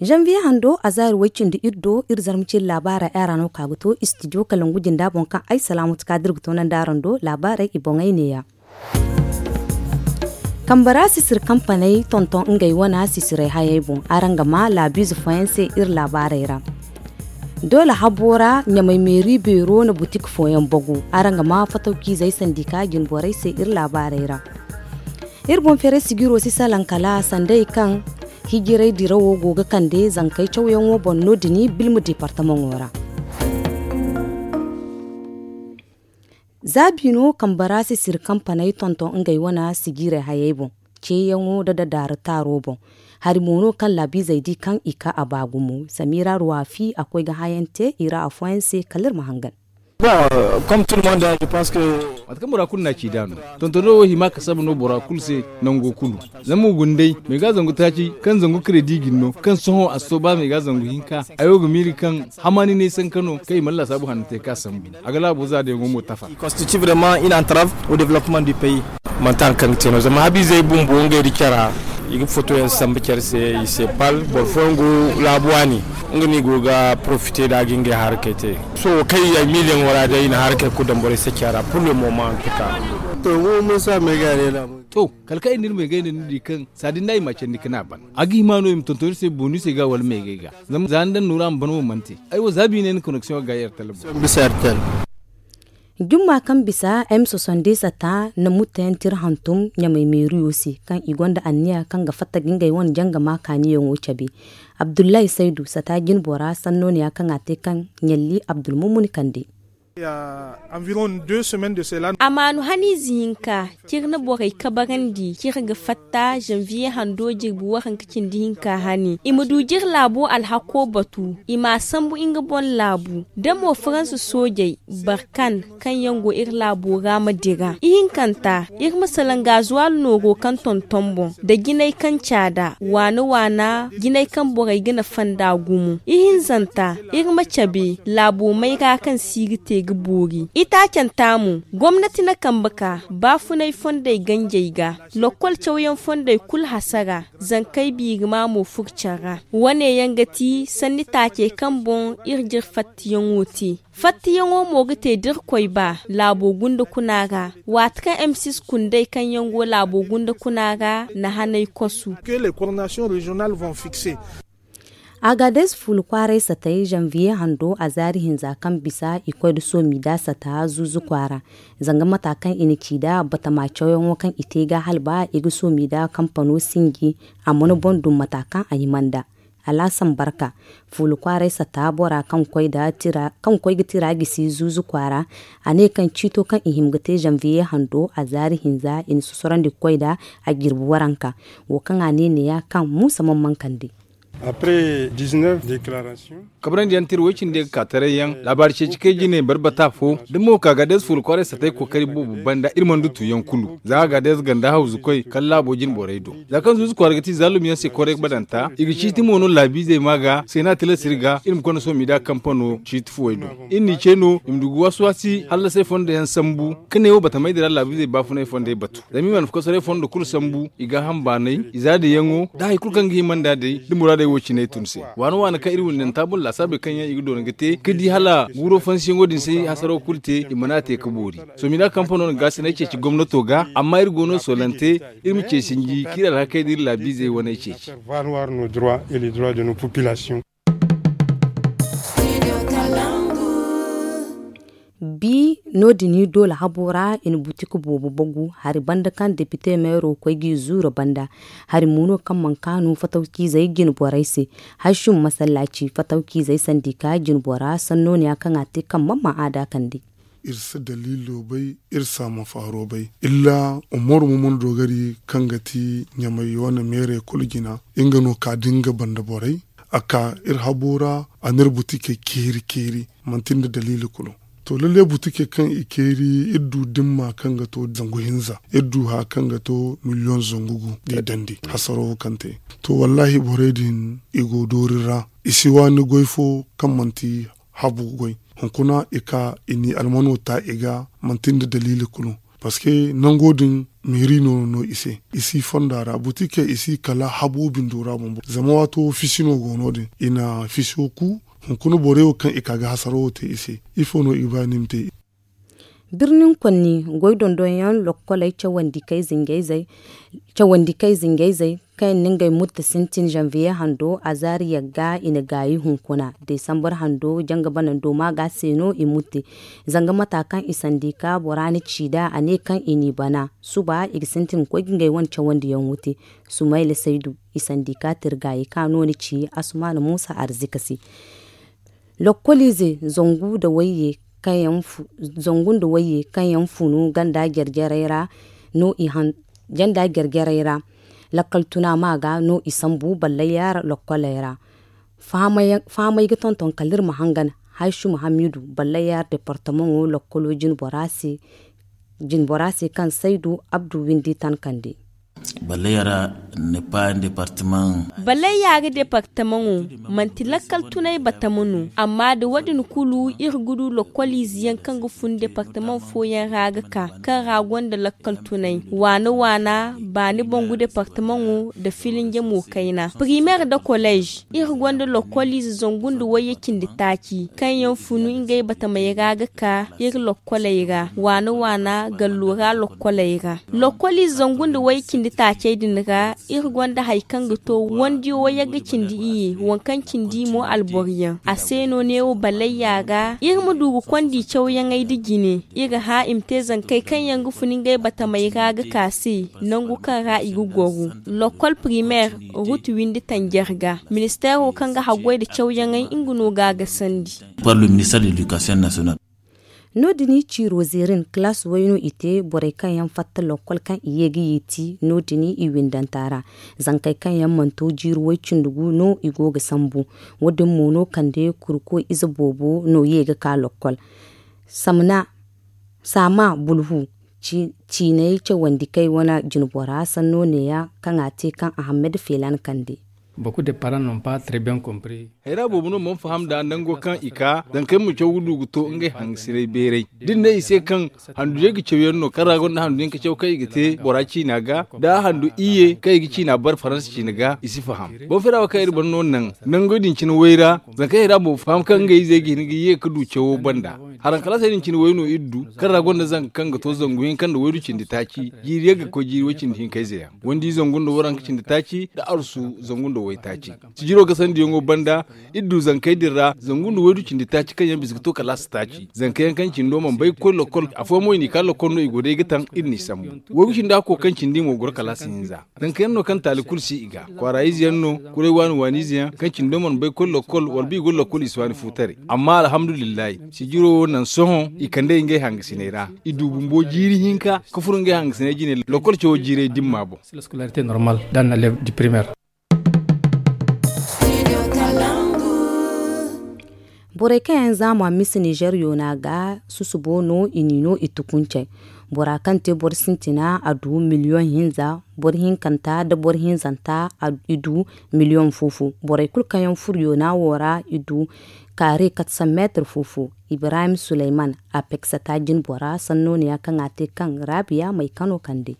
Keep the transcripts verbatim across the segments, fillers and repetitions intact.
Zanviye hando a zaari way-cindi iri do iri zarma cindi laabaarey araŋ no ka ga to istidiyo kalangu jinda boŋ kaŋ ay salaamatu ka da iri ga toonandi araŋ do laabaarey i boŋey neeya. Kambe ra sisiri kampaney tonton ngey wane sisirey hayey boŋ araŋ ga ma laabiize fooyaŋ se iri laabaarey ra. Doole habo ra ɲamay meeri beero na butik fooyaŋ bagu araŋ ga ma fatawciizey sandika jinborey se iri laabaarey ra. Iri boŋ feeray sijiro si salaŋ kala sanday kaŋ hijiray dirawo go ga kande zankey cawyaŋo boŋ no- din bilma deepartamaŋo ra. Za biino kambe ra sisiri kampaney tonton ngey wane sijirey hayey boŋ ceeyaŋo nda dadaara taaro boŋ. Hari mo no kaŋ laabiizey di kaŋ i ka a ba gumo samira ruwaafi a koy ga hayaŋ te i ra afooyaŋ se kala iri ma hangan. Mate kaŋ bora kulu na a ci nd'a no tontono wo hima kasaba no bora kulu se nango kulu. Zama mo guna day meega zangu taaci kaŋ zangu kredi ga ni no kaŋ sohõ a si to ba meega zangu hinka. Ay wo ga miiri kaŋ hamaani n'ay sanka no kaŋ i mana laasaabu hanno te ka sambu a ga laabo za da yaŋo mo tafa. Manti hari kaŋ ga te no zama habiizey bumbo ngey nda care ra i ga fotoyaŋ sambu care se i se pal boro fooyaŋ go laabu waani nga no i go ga porofite nd'a ga ngey harkey te. Sohõ kaŋ i ya miliyaŋo ra day i na harkey kulu daŋ borey se care ra pur le moment hantuka. To, kala kaŋ iri na iri meegay no ni di kaŋ saadin no i m'a candi ka ne a ban a ga hima no i ma tonton iri se booni se ga wala meegay ga. Zama za ni daŋ nooru a ma ban wo mana te. Ay wo za biine ni koneksiyoŋo ga yar tala boŋ. Jumma kaŋ bisa m soixante-dix sata na mutteyaŋ tira hantum ɲamay meeriyo se kaŋ i gonda anniya kaŋ ga fatta ga ngey wane janga ma kaaniyaŋo cabe. Abdullahi saydu sata jinbora sanno ne ya kaŋ a te kaŋ ɲalli abdulmumuni kande. Amaanu haniize hinka ciri na borey kabarandi ciri ga fatta zanviye hando jirbi waranka cindi hinka hane i ma du jiri laabo alhako batu i m'a sambu nga boŋ laabu da mo faransa soojey barkan kaŋ yaŋ go iri laabo ra ma dira ihinkanta iri ma salaŋ gaazuwaal nooro kaŋ tonton boŋ nda jinay kaŋ caada waana waana jinay kaŋ borey ga na fanda gumo ihinzanta iri ma cabe laabo mayra kaŋ si ga te ga boori itaacanta mo gomnati na kambe ka baafunay fondey ganjey ga lokkol cawyaŋ fondey kulu hasara zankey biirima mo furca ra wane yaŋ ga ti sanni taacey kaŋ boŋ iri jire fattiyaŋo te fattiyaŋo mo ga te da iri koy ba laabo gunda kuna ra waati kaŋ m six kundey kaŋ yaŋ go laabo gunda kuna ra na hanay kosu. Agades fuula kwaaray satay zanviye hando a zaari hinza kaŋ bisa i koy nda soomida sata zuuzu kwaara zanga mata kaŋ i na ci nd'a batama cawyaŋo kaŋ i te ga hala ba i ga soomida kampano sinji a mana boŋ dum mata kaŋ a hima nd'a. Alaasan barka fuula kwaaray sata bora kaŋ koy ga tira gisi zuuzu kwaara a ne kaŋ ciito kaŋ i hima ga te zanviye hando a zaari hinza i na sosorandi ga koy nd'a a jirbi waranka wo kaŋ a ne neeya kaŋ muusa mana mankandi. Kabrandi yaŋ tira way cindi ga ka taray yaŋ laabaari ceeci kay jine barbata fo da mo ka gaades fuula kwaaray satay kookari boobo banda iri mana du tuuyaŋ kulu za gaades ganda hawzu koy kala laabo jine borey do za kaŋ zuuzu kwaara ga ti zaalum yaŋ se koray badanta i ga ciiti mo no laabiizey ma ga seena tilas iri ga iri ma konda sohõ m'i da kampano ciiti fuwey do iri n'i ce no i ma du ga waasi waasi hallasay fondo yaŋ sambu ka ne wo batamaydi ra laabiizey baafunay fondey batu zama i mana kosoray fondo kulu sambu i gaaham baanay i zaadiyaŋo da hari kulu kaŋ ga hima nd'a day da muraadey wo cinay tun se waana waana kaŋ iri windanta boro laasaabey kaŋ yaŋ i ga doona ga te ka di hala guuro fansiyaŋo din se hasaro kulu te i mana a te ka boori sohõ m'i da kampano na gaasinay ceeci gomnato ga amma iri go no soolante iri ma ce sinji kaŋ iri alhakey da iri laabiizey waney ceeci. Bi no- din i doole habo ra i na butik boobo bagu hari banda kaŋ depite meero koy g'i zuura banda hari mo no kaŋ mana kaanu fatawciizey jine borey se. Hashim masallaaci fatawciizey sandika jine bora sanno ne ya kaŋ a te kaŋ mana ma a daakandi. Iri si daliilo bay iri si a ma faaro bay illa umaru ma mana doogari kaŋ ga ti ɲamay wane meerey kulu jina nga no ka da nga banda borey a ka iri habo ra a n'iri butikey keeri keeri manti nda daliili kulu. To lalle butikey kaŋ i keeri iri du dimma kaŋ ga to zangu hinza iri du haya kaŋ ga to miliyoŋ zangu gu da i dandi hasaro wo kaŋ te. To wallaahi borey din i go doori ra i si waani goy fo kaŋ manti habu goy. Hunkuna i ka i n'i almano ta i ga manti nda daliili kulu. Parceque nango din meeri no no i se. I si fonda ra buti kaŋ i si kala habo bindo ra bumbo zama waato fisi no go no- din i na fiso ku. Hunkuna borey wo kaŋ i ka ga hasaro wo te i se, ifo no i ga ba ni ma te? Birnin konni goy dondonyaŋ lokkoley cawandi kay zinjayzey kaŋ yaŋ na ngey mutte sintin zanviye hando azaari yagga i na gaayi hunkuna desambar hando janga banando maaga se no i mutte. Zanga mata kaŋ i sandi ka bora na ci nd'a a ne kaŋ i n'i bana suba i ga sintin ga koy ga ngey wane cawandiyaŋ wuti. Sumayla saydu i sandi ka tirgaayi ka no ni ci asumaana muusa arzika se. Lokkoliize zangu nda wayye kaŋ yaŋ funu ganda jare-jarey ra no i han janda jare-jarey ra. Lakkal tuna ma ga no i sambu ballayyaara lokkoley ra. Fahamey ga tonton kala iri ma hangan. Haysu muhammadu ballayyaara departamaŋo lokkolo jinbora se kaŋ saydu abdu windi tan kande. Ballayyaara departamaŋo manti lakkal tunay batama no amma da wo- din kulu iri ga du lokkoliize yaŋ kaŋ ga fun departamaŋ fooyaŋ ra ga ka kaŋ ra gonda lakkal tunay waana waana baani bangu departamaŋo nda filinje mo kayna primeer nda kolleez. Iri gonda lokkoliize zangu nda wayye cindi taaci kaŋ yaŋ funu ngey batamey ra ga ka iri lokkoley ra waana waana gallo ra lokkoley ra. Lokkoliize zangu nda wayye cindi taacey din ra iri gonda hari kaŋ ga to wandiyo wayye ga cindi iyye waŋ kaŋ cindi i mo alboro yaŋ a se no neewo balayya ra iri ma du ga konda i cawyaŋey nda jine. Iri hã i ma te zankey kaŋ yaŋ ga fun ngey batamey ra ga ka se nangu kaŋ ra i ga goro. Lokkol primeer ruut windi tanjar ga ministeero kaŋ ga haggoy nda cawyaŋey nga no ga a gasandi. No- din ciiro zeerin kalaas way no i te borey kaŋ yaŋ fatta lokkol kaŋ i ye ga yeeti no- din i windanta ra. Zankey kaŋ yaŋ mana to jiiri way cindi gu no i go ga sambu. Wo- din mo no kande kurko ize boobo no ye ga ka lokkol. Saama bulhu ciinay cawandi kay wane jinbora sanno neeya kaŋ a te kaŋ ahammed feelan kande. Hayra boobo no mana faham nd'a nango kaŋ i ka zankey ma caw ga du ga to ngey hangasinay beeray da ni ne i se kaŋ handu yay ga caw yaŋ no kaŋ ra gonda handu yaŋ ga caw kaŋ i ga te bora ciina ga da handu iyye kaŋ i ga ciina bare faransa ciina ga i si faham. Boŋ feera wo kaŋ iri bare no naŋ nango din cine way ra zankey hayra boobo faham kaŋ ngey izey ga hin ga ye ga du cawo banda. Haraŋ kalaasey din cine way no iri du kaŋ ra gonda zanka kaŋ ga to zangu hinka nda waydu cindi taaci jiiri yagga ga koy jiiri way cindi hinka ize yaŋ wandi zangu nda waranka cindi taaci nda arsu zangu nda waytaaci. Sijiro gasandiyaŋo banda iri du zankey din ra zangu nda waydu cindi taaci kaŋ yaŋ bisa ga to kalaasi taaci zanka yaŋ kaŋ cindo mana bay ga koy lokkol afooyaŋ mo i n'i ka lokkol no i go day ga taŋ iri n'i sambu. Waygu cindi hakko kaŋ cindi mo goro kalaasi hinza. Zanka yaŋ no kaŋ taali kulu si i ga kwaara ize yaŋ no. Kuray waani waani ize yaŋ kaŋ cindo mana bay ga koy lokkol wala ba i go lokkol i si waani fu taray. Amma alhamdulillahi sijiro wo naŋ sohõ i kand'ey ngey hangasiney ra. I du bumbo jiiri hinka ga furo ngey hangasiney jine lokkol cawo jiirey dimma boŋ. Borey kaŋ yaŋ zaama mise nizer yoona ga susubo no i n'i no i tukuncey. Bora kaŋ te boro sintina a du miliyoŋ hinza. Boro hinkanta nda boro hinzanta i du miliyoŋ fo fo. Borey kulu kaŋ yaŋ furo yoona wo ra i du kaare katsan meetir fo fo. Ibrahim suleyman a peksata jinbora sanno neeya kaŋ a te kaŋ raabiya may kano kande.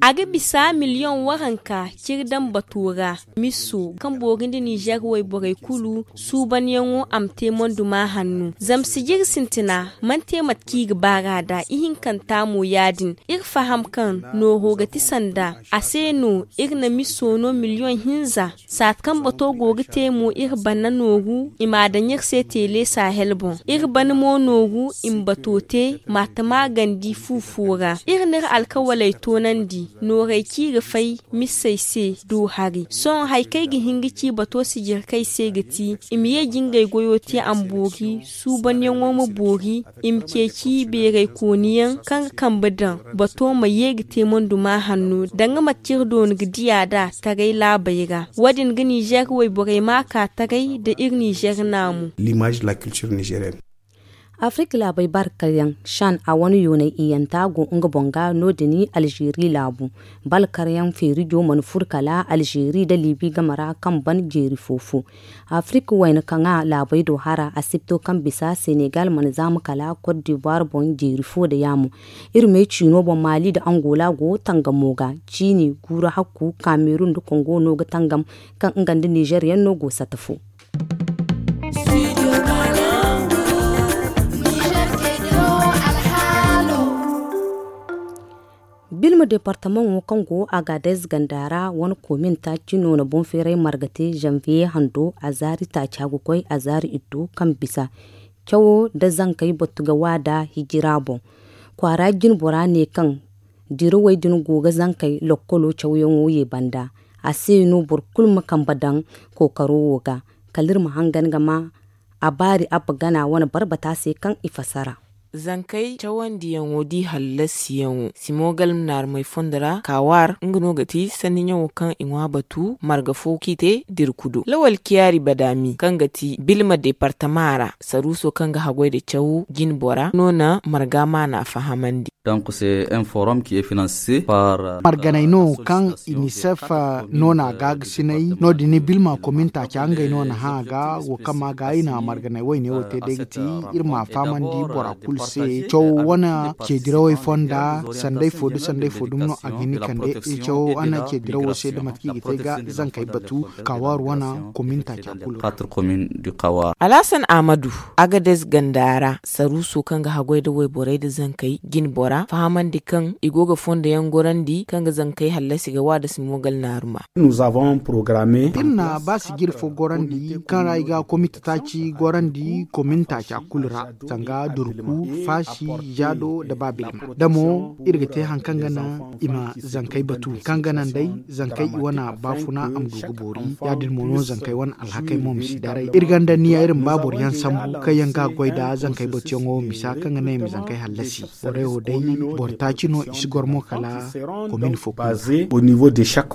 A ga bisa miliyoŋ waranka ciri daŋ bato ra. Miso kaŋ boori nda nizer wayborey kulu suubanyaŋo a ma te monduma hanno zama sijiri sintina mana te mate kaŋ i ga baar'a nd'a ihinkanta mo ya- din. Iri faham kaŋ nooro ga ti sanda a se no iri na miso no miliyoŋ hinza. Saati kaŋ bato go ga te mo iri banda nooru i m'a daŋ iri se teele sahel boŋ. Iri banda mo nooru i ma bato te m'a tama gandi fu fo ra iri n'iri alkawaley toonandi. Noorey kaŋ i ga fay misey se do hari sohõ hari kaŋ ay ga hin ga ci bato sijirkey se ga ti i ma ye ga ngey goyo te a ma boori suubanyaŋo ma boori. I ma ceeci beeraykooniyaŋ kaŋ ga kambe daŋ bato ma ye ga te monduma hanno danga mate kaŋ iri doona ga diya nd'a taray laabey ra. Wo- din ga nizer wayborey ma ka taray nda iri nizer naamu. Afirik laabey barkaryaŋ, shan a wane yoonay iyanta go nga boŋ ga no- din. Alzeeri laabu balkaryaŋ feerijo mana fur kala alzeeri nda liibi game ra kaŋ ban jeeri fo-fo. Afirik wayna kaŋ a laabey do hara asibto kaŋ bisa senegal mana zaama kala kot dibuwar boŋ jeeri fo nda yaamo. Iri me ciino boŋ maali nda angola go tangamo ga ciini guuru hakku kamerun nda kongo no ga tangam kaŋ nga nda nizer yaŋ no go sata fo. Bilma departamaŋo kaŋ go agadez ganda ra wane komin taaci no na boŋ feeray marga te zanviye hando a zaari taaci a ga koy a zaari iddo kaŋ bisa cawo nda zankey batu ga waada hijira boŋ. Kwaara jinbora ne kaŋ dirawey din go ga zankey lokkolo cawyaŋo ye banda. A se no boro kulu ma kambe daŋ kookaro wo ga kala iri ma hangan ga ma a baari abba gana wane barbata se kaŋ i fassara. Zankey cawandiyaŋo di hallasiyaŋo simogal naarumey fondo ra kawaar nga no ga ti sanniyaŋo kaŋ i ŋwa batu marga fo kaŋ i te dirkudo lawal kiyaari badaami kaŋ ga ti bilma departama ra saruuso kaŋ ga haggoy nda caw jinbora no na marga maana fahamandi. Marganey no kaŋ inisef no na a gaagasinay no- din bilma komin taaca ngey no na hã a ga wo kaŋ ma ga i na marganey wayne wo te day ga ti iri ma a fahamandi bora kulu se caw wane ceedirawey fonda sanday fo da sanday fo dumi no a ga hin ga kande caw wane ceedirawo se da mate kaŋ i ga te ga zankey batu kawaaru wane komin taaca kulu ra. Alhasan ahmadu, agadez ganda ra saruuso kaŋ ga haggoy nda wayborey nda zankey jinbora fahamandi kaŋ i go ga fondoyaŋ gorandi kaŋ ga zankey hallasi ga wa nda simogal naaruma. Iri na ba sijiri fo gorandi kaŋ ra i ga komite taaci gorandi komin taaca kulu ra zanga durku faasi jaado nda baabilma da mo iri ga te hari kaŋ ga naŋ i ma zankey batu kaŋ ga naŋ day zankey i wane baafuna a ma du ga boori. Ya- din mo no zankey wane alhakey mo ma si daray iri ganda niya iri ma ba boro yaŋ sambu kaŋ yaŋ ga goy nda zankey batuyaŋo misa kaŋ ga naŋ i ma zankey hallasi. Borey wo day boro taaci no i si goro mo kala komin fo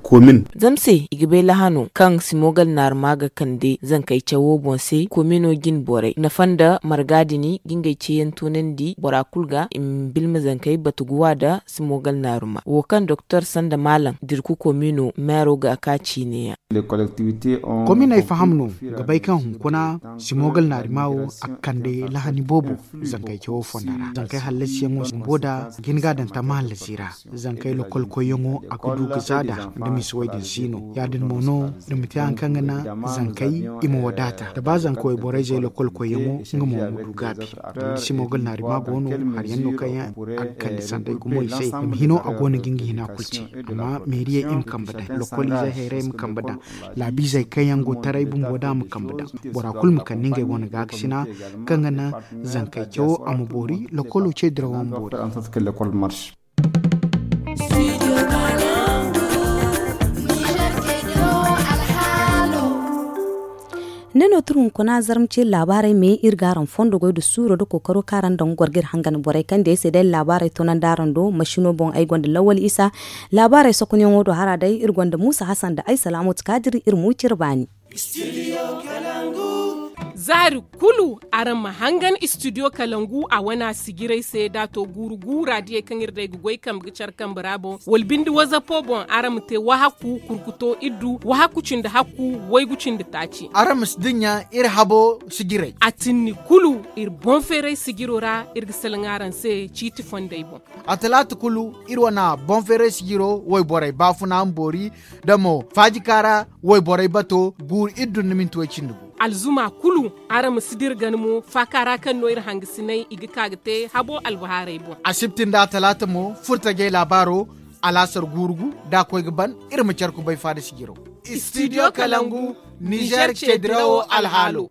kulu ra. Zama se i ga bay lahano kaŋ simogal naaruma ga kande zankey cawo boŋ se komino jine borey nafa nda marga din ga ngey ceeyaŋ toonandi bora kulu ga i ma bilma zankey batu ga wa nda simogal naaruma wo kaŋ doktor sanda maalam dirku komino meero ga a ka ciine yaŋ. Kominey faham no ga bay kaŋ hunkuna simogal naaruma wo a ga kande lahani boobo zankey cawo fonda ra zankey hallasiyaŋo bumbo nda jine ga daŋ tamma hallasi ra. Zankey lokol koyyaŋo a ga du ga zaada da misa wo- din si no ya- din mo no da ma te hari kaŋ ga naŋ zankey i ma wadaata da ba zanka wayborey zey lokol koyyaŋo nga mo ma du gaabi. Zama da simogal naaruma go no hari yaŋ no kaŋ yaŋ a ga kande sanday gumo i se zama hino a go no ga nga hina kulu ce. Amma meeriyey i ma kambe daŋ lokol izey hayray ma kambe daŋ laabiizey kaŋ yaŋ go taray bumbo da a ma kambe daŋ bora kulu ma kande ngey wane gaakasina kaŋ ga naŋ zankey cawo a ma boori lokolo ce dirawo ma boori. Ne no turu hunkuna zarma ce laabaarey me iri ga araŋ fondo goy nda suuro nda kookaro kaŋ araŋ daŋ ga goro ga iri hangan borey kaŋ day se day laabaarey toonandi araŋ do masino boŋ ay gonda lawal isa. Laabaarey sokonyaŋo do hara day iri gonda muusa hasan nda ay salaamatu kaadiri iri ma wi cire baani. Zaari kulu araŋ ma hangan istidiyo kalangu a wana sijirey se da a to guuru guura diyey kaŋ iri day ga goy kambe ga care kambe ra boŋ wala binde wazapo boŋ araŋ ma te wahakku kurkuto iddu wahakku cindi hakku waygu cindi taaci. Araŋ ma si dinya iri habo sijirey a tinni kulu iri boŋ feeray sijiro ra iri ga salaŋ araŋ se ciiti fondey boŋ. A talaata kulu iri wana boŋ feeray sijiro wayborey baafuna ma boori da mo faajika ra wayborey bato guuru iri dun na minti way cindi gu. Alzuma kulu araŋ ma si dira gana mo faaka ra kaŋ no iri hangasinay i ga ka ga te habo albahaarey boŋ. Asibti nda talaata mo furtajey laabaaro alaasar guuru gu da a koy ga ban iri ma care kubay faada sijiro. Istidiyo kalangu nizer ce dirawo alhaalo.